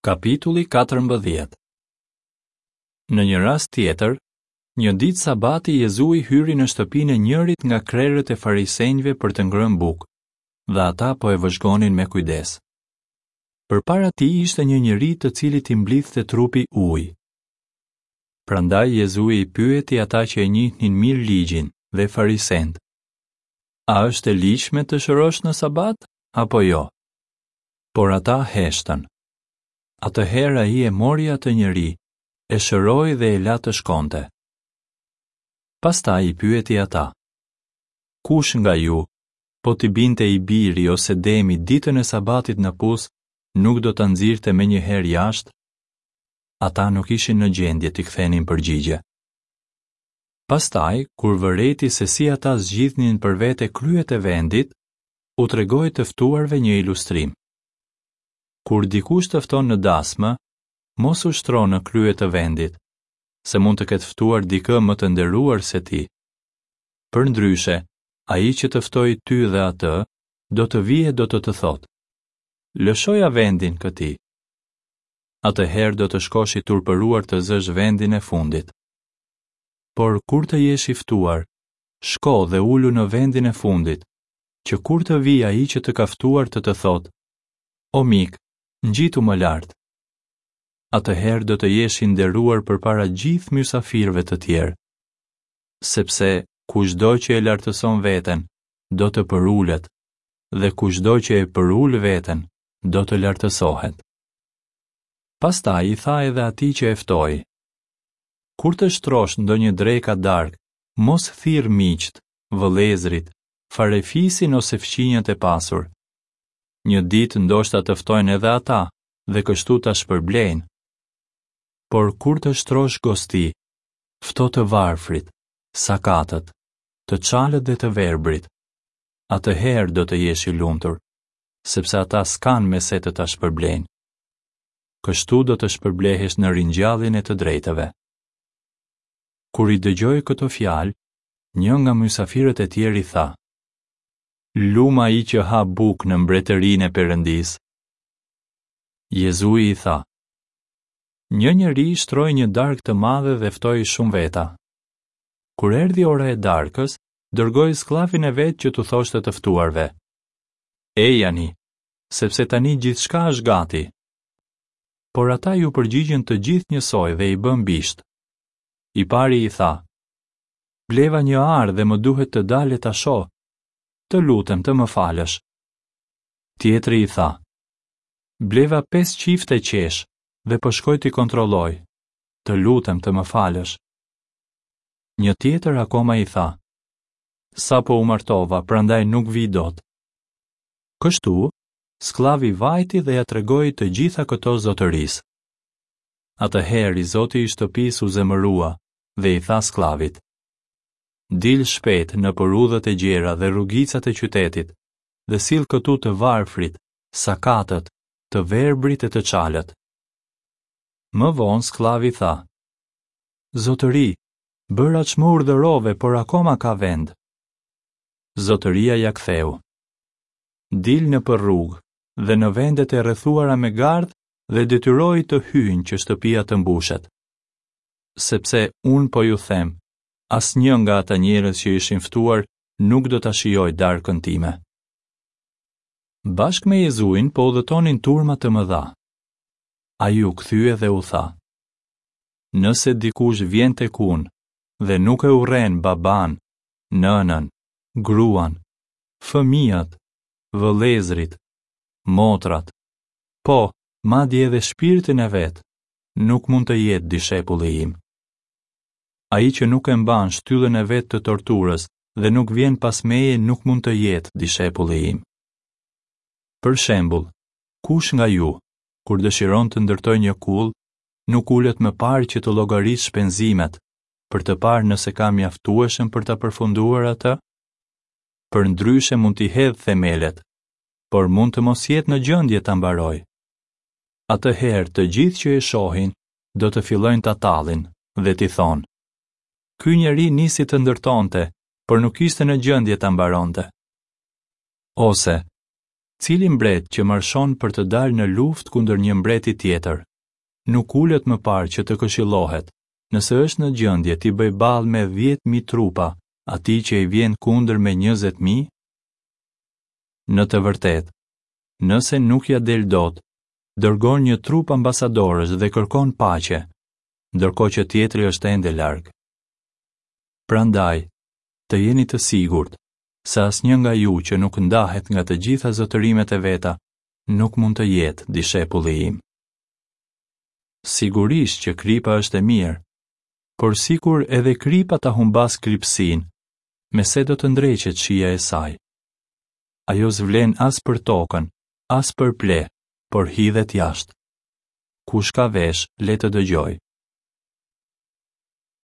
Kapitulli 14 Në një rast tjetër, një ditë sabati Jezui hyri në shtëpinë e njërit nga krerët e farisenjve për të ngrënë bukë, dhe ata po e vëzhgonin me kujdes. Përpara tij ishte një njeri të cilit i mblidhte trupi ujë. Prandaj Jezui i pyeti ata që e njihnin mirë ligjin dhe farisenjtë. A është e ligjshme të shërosh në sabat apo jo? Por ata heshtën. Atëherë ai e mori atë njeri, e shëroi dhe e la të shkonte. Pastaj i pyeti ata: Kush nga ju, po t'i binte i biri ose demi ditën e sabatit në pus, nuk do ta nxirrte menjëherë jashtë? Ata nuk ishin në gjendje t'i kthenin përgjigje. Pastaj, kur vërejti se si ata zgjidhnin për vete kryet e vendit, u tregoi të ftuarve një ilustrim. Kur dikush të fton në dasmë, mos u shtro në krye të vendit, se mund të ketë ftuar dikë më të nderuar se ti. Përndryshe, ai që të ftoi ty dhe atë, do të vijë e do të të thotë: Lëshoja vendin këtij. Atëherë do të shkosh i turpëruar të zësh vendin e fundit. Por kur të jesh i ftuar, shko dhe ulu në vendin e fundit, që kur të vijë ai që të ka ftuar të të thotë, O mik, ngjitu më lart. Atëherë do të jesh i nderuar përpara gjithë mysafirëve të tjerë. Sepse kushdo që e lartëson veten, do të përulet, dhe kushdo që e përul veten, do të lartësohet. Pastaj i tha edhe atij që e ftoi: Kur të shtrosh ndonjë drekë a darkë, mos thirr miqtë, vëllezërit, farefisin ose fqinjët e pasur. Një ditë ndoshta të ftojnë edhe ata dhe kështu ta shpërblejnë. Por kur të shtrosh gosti, fto të varfrit, sakatët, të çalët dhe të verbrit. Atëherë do të jesh i lumtur, sepse ata s'kanë me se të ta shpërblejnë. Kështu do të shpërblehesh në ringjalljen e të drejtëve. Kur i dëgjoi këto fjalë, një nga mysafirët e tjerë i tha: Lum ai që ha bukë në mbretërinë e Perëndisë. Jezui i tha: Një njeri shtroi një darkë të madhe dhe ftoi shumë veta. Kur erdhi ora e darkës, dërgoi skllavin e vet që t'u thoshte të ftuarve: Ejani, sepse tani gjithçka është gati. Por ata iu përgjigjën të gjithë njësoj dhe i bënë bisht. I pari i tha: Bleva një arë dhe më duhet të dal e ta shoh. Të lutem të më falësh. Tjetri i tha: Bleva pesë çifte qesh dhe po shkoj t'i kontrolloj. Të lutem të më falësh. Një tjetër akoma i tha: Sapo u martova, prandaj nuk vij dot. Kështu, skllavi vajti dhe ia tregoi të gjitha këto zotërisë. Atëherë i zoti i shtëpisë u zemërua dhe i tha skllavit: Dil shpejt nëpër udhët e gjera dhe rrugicat e qytetit dhe sill këtu të varfrit, sakatët, të verbrit e të çalët. Më vonë skllavi tha: Zotëri, bëra ç'më urdhërove, por akoma ka vend. Zotëria ia ktheu: Dil nëpër rrugë dhe në vendet e rrethuara me gardh dhe detyroji të hyjnë që shtëpia të mbushet. Sepse unë po ju them, asnjë nga ata njerëz që ishin ftuar nuk do ta shijojë darkën time. Bashkë me Jezuin po udhëtonin turma të mëdha. Ai u kthye dhe u tha: Nëse dikush vjen tek unë dhe nuk e urren babanë, nënën, gruan, fëmijët, vëllezërit, motrat, Po, madje edhe shpirtin e vet, nuk mund të jetë dishepulli im. Ai që nuk e mban shtyllën e vet të torturës dhe nuk vjen pas meje nuk mund të jetë dishepulli im. Për shembull, kush nga ju, kur dëshiron të ndërtojë një kullë, nuk ulet më parë që të llogarisë shpenzimet, për të parë nëse ka mjaftueshëm për ta përfunduar atë? Përndryshe mund t'i hedhë themelet, por mund të mos jetë në gjendje ta mbarojë. Atëherë të gjithë që e shohin do të fillojnë ta tallin dhe t'i thonë: Ky njeri nisi të ndërtonte, por nuk ishte në gjendje ta mbaronte. Ose. Cili mbret që marshon për të dalë në luftë kundër një mbreti tjetër, nuk ulet më parë që të këshillohet, nëse është në gjendje t'i bëjë ballë me 10.000 trupa atij që i vjen kundër me 20.000? Në të vërtetë, nëse nuk ia del dot, dërgon një trupë ambasadorësh dhe kërkon paqe, ndërkohë që tjetri është ende larg. Prandaj, të jeni të sigurt se asnjë nga ju që nuk ndahet nga të gjitha zotërimet e veta nuk mund të jetë dishepulli im. Sigurisht që kripa është e mirë, por sikur edhe kripa ta humbasë kripësinë, me se do të ndreqet shija e saj. Ajo s'vlen as për tokën, as për pleh, por hidhet jashtë. Kush ka veshë, le të dëgjojë.